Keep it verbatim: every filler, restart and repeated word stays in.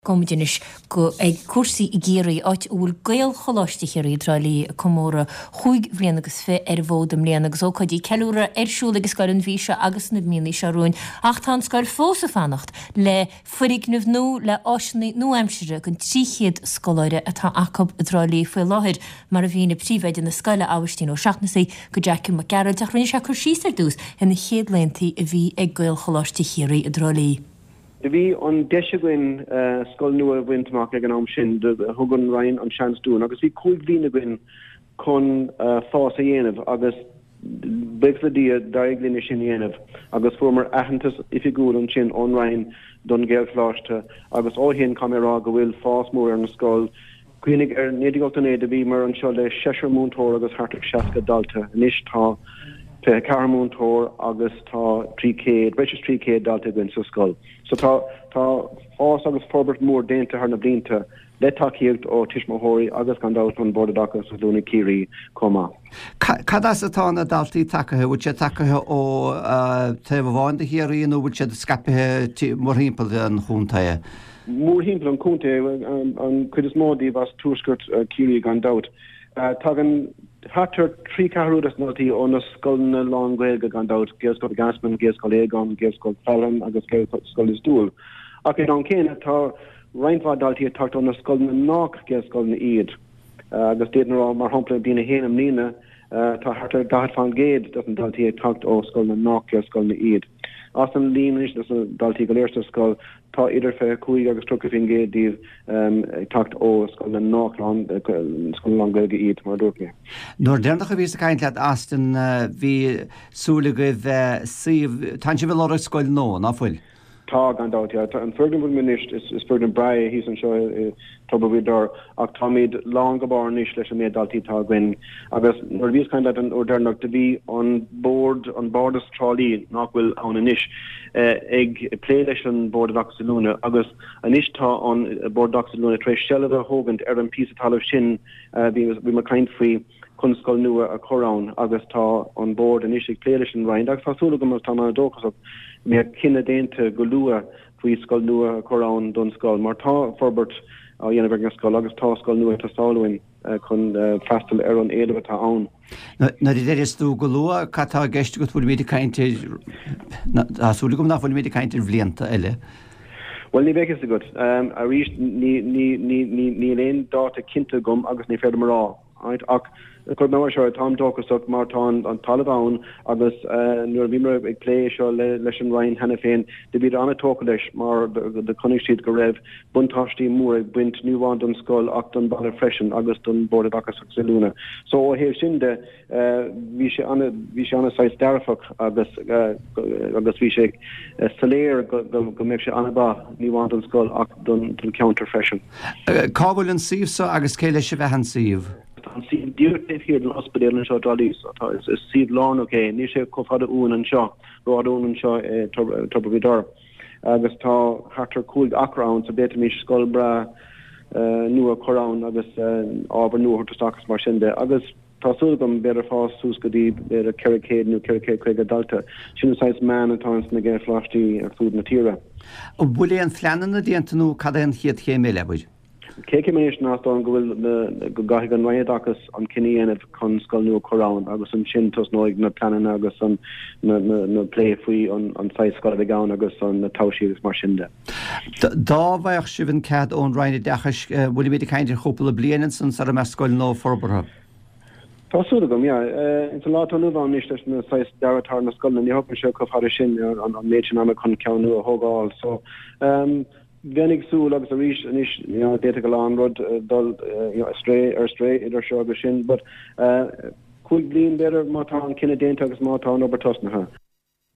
Gabhfaimid anois go ag cúrsaí i gCiarraí, áit a bhfuil Gaelcholáiste Chiarraí i dTrá Lí ag comóradh chúig bhliana agus fiche ar an bhfód i mbliana agus ócáidí ceiliúradh ar siúl ag an scoil an mhí seo agus na míonna seo romhainn ach tá an scoil fós ag fanacht le foirgneamh nua le áiseanna nua-aimseartha don trí chéad scoláire atá acu i dTrá Lí faoi láthair, mar a mhínigh príomhoide na scoile, Aibhistín Ó Seachnasaigh, go Jackie Mac Gearailt ach rinne sé cur síos ar dtús ar na chéad laethanta a bhí ag Gaelcholáiste Chiarraí i dTrá Lí. Do bhí an deis againn scoil nua a bhaint amach ag an am sin, thug an Roinn an seans dúinn agus bhí cúig bhliain againn chun fás a dhéanamh agus buíochas le Dia d'éirigh linn é sin a dhéanamh agus fuaireamar aitheantas oifigiúil ansin ón Roinn don Ghaelcholáiste agus ó shin caithfidh mé a rá go bhfuil fás mór ar an scoil. Cuimhnigh ar naoi déag ochtó naoi do bhíomar anseo le seisear múinteoir agus thart ar seasca dalta. Anois tá fiche a ceathair múinteoir agus tá trí chéad, breis is trí chéad dalta againn sa scoil. So tá, tá fás agus forbairt mhór déanta thar na blianta le tacaíocht ó tuismitheoirí agus gan dabht ón Bord Oideachais agus Oiliúna Ciarraí chomh maith. Cad as atá na daltaí tagaithe? Bhfuil siad tagaithe ó taobh amháin de Chiarraí nó bhfuil siad scaipthe mórthimpeall an chontae? Mórthimpeall an chontae, an chuid is mó díobh as tuaisceart Chiarraí gan dabht. Tagann thart ar trí ceathrú des na daltaí ó na scoileanna lán-Ghaeilge gan dabht, Gaelscoil Mhic Easmainn, Gaelscoil Aogáin, Gaelscoil Faithleann agus Gaelscoil Lios Tuathail. Ach ag an am céanna tá roinnt mhaith daltaí ag teacht ó na scoileanna nách Gaelscoileanna iad. Agus d'fhéadfainn a rá, mar shampla, i mbliain a haon i mbliana, Tá thart ar daichead faoin gcéad de na daltaí ag teacht ó scoileanna nách Gaelscoileanna iad. As an líon anois de na daltaí go léir sa scoil, tá idir fiche cúig agus tríocha faoin gcéad díobh ag teacht ó scoileanna nách scoileanna lán-Ghaeilge iad, mar a dúirt mé. Nuair deireanach a bhíos ag caint leat, Austin, bhí súil agaibh suíomh, tánn sibh ag lorg scoil nua, ná fuil? Tá, gan dabht, yeah. An foirgneamh a bhfuil anois, is foirgneamh breá é thíos anseo i Tobar Ghaoth Dobhair, ach táimid lán go barr anois leis an méid daltaí atá againn. Agus nuair a bhíos ag caint leat an uair deireanach, do bhí an Bord, an Bardas Trá Lí, nach bhfuil ann anois, ag plé leis an Bord Oideachais Oiliúna agus anois tá an Bord Oideachais Oiliúna tar éis seilbh a thógaint ar an píosa talaimh sin a bhí muid ag caint faoi. chun scoil nua a chur ann agus tá an Bord anois ag plé leis an Roinn agus tá súil agam agus táim an-dóchasach go mbeidh cinneadh déanta go luath faoi scoil nua a chur ann don scoil mar tá forbairt á dhéanamh ar an scoil agus tá scoil nua ag teastáil uainn chun freastal ar an éileamh atá ann. Nuair a deireas tú go luath, cad tá i gceist agat? Bhfuilimid ag caint ar, tá súil agam nach bhfuilimid ag caint ar bhlianta eile. Bhuel, ní bheidh fhios agat. Arís, níl aon dáta cinnte agam agus ní féidir liom a rá. Ach cuirfidh mé mar seo é, táim dóchasach mar tá an talamh ann agus nuair a bhíomar ag plé é seo leis an Roinn cheana féin, do bhíodar an-tógtha leis mar do chonaic siad go raibh buntáistí mór ag baint ní amháin don scoil ach don bhaile freisin agus don Bhord Oideachais agus Oiliúna. So ó thaobh sin de, bhí sé ana, bhí sé ana saghas dearfach agus agus bhí sé soiléir go go mbeadh sé ana-mhaith ní amháin don scoil ach don don cheantar freisin. Cá bhfuil an suíomh so agus cé leis a bheadh an suíomh? Tá an suíomh díreach taobh thiar den ospidéal anseo i dTrá Lí so tá is suíomh lárnach é, níl sé chomh fada uainn anseo, rófhada uainn anseo i Tobar Ghaoth Dobhair agus tá thart ar cúig acra ann so d'fhéadfaimis scoil breá nua a chur ann agus ábhar nua a thabhairt isteach agus mar sin de agus Tá súil agam, b'fhéidir fás suas go dtí b'fhéidir ceithre chéad nó ceithre chéad caoga dalta. Sin an saghas meán atá ins na Gaelcholáistí ar fud na tíre. An bhfuil aon phleananna déanta nó cad é an chéad chéim eile, abair? Chéad chéim anois ná is dóigh liom go bhfuil na, go gcaithfidh an Roinn Oideachais an cinneadh a dhéanamh chun scoil nua a chur ann agus ansin tosnóidh na pleananna agus an, na, na, na plé faoi an, an saghas scoil a bheidh ann agus an, na toimhsí agus mar sin de. Dá bhfaigheadh sibh an cead ón Roinn Oideachais, bhfuilimid ag caint ar chúpla bliain ansan sara mbeadh scoil nua forbartha? Tá súil agam, yeah. Ins an lá atá inniu ann anois leis na saghas dearadh atá ar na scoileanna, ní thógann sé chomh fada sin an méid sin ama chun ceann nua a thógáil. So, bheinn ag súil agus arís anois, you know, d'fhéadfadh a lán rud dul you know, astray, ar strae idir seo agus sin, but cúig bliain b'fhéidir má tá an cinneadh déanta agus má tá an obair tosnaithe.